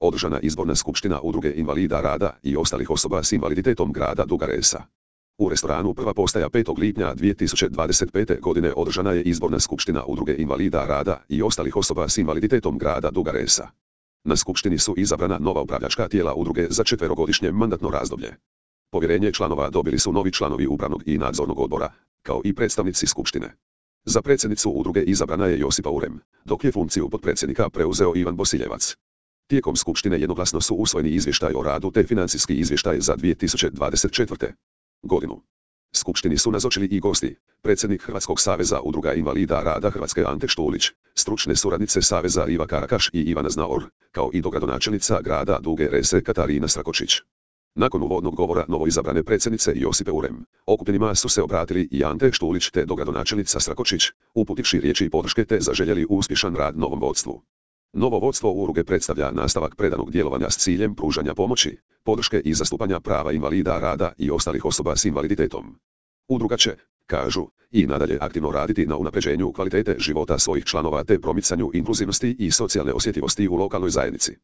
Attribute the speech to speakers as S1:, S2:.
S1: održana izborna skupština Udruge invalida rada i ostalih osoba s invaliditetom grada Duga Resa. U restoranu Prva postaja 5. lipnja 2025. godine održana je izborna skupština Udruge invalida rada i ostalih osoba s invaliditetom grada Duga Resa. Na skupštini su izabrana nova upravljačka tijela udruge za 4-godišnje mandatno razdoblje. Povjerenje članova dobili su novi članovi upravnog i nadzornog odbora, kao i predstavnici skupštine. Za predsjednicu udruge izabrana je Josipa Urem, dok je funkciju potpredsjednika preuzeo Ivan Bosiljevac. Tijekom skupštine jednoglasno su usvojeni izvještaj o radu te financijski izvještaj za 2024. godinu. Skupštini su nazočili i gosti, predsjednik Hrvatskog saveza udruga invalida rada Hrvatske Ante Štulić, stručne suradnice Saveza Riva Karakaš i Ivana Znaor, kao i dogradonačelnica grada Duge Rese Katarina Strakočić. Nakon uvodnog govora novoizabrane predsjednice Josipe Urem, okupljenima su se obratili i Ante Štulić te dogradonačelnica Strakočić, uputivši riječi podrške te zaželjeli uspješan rad novom vodstvu. Novo vodstvo udruge predstavlja nastavak predanog djelovanja s ciljem pružanja pomoći, podrške i zastupanja prava invalida rada i ostalih osoba s invaliditetom. Udruga će, kažu, i nadalje aktivno raditi na unapređenju kvalitete života svojih članova te promicanju inkluzivnosti i socijalne osjetljivosti u lokalnoj zajednici.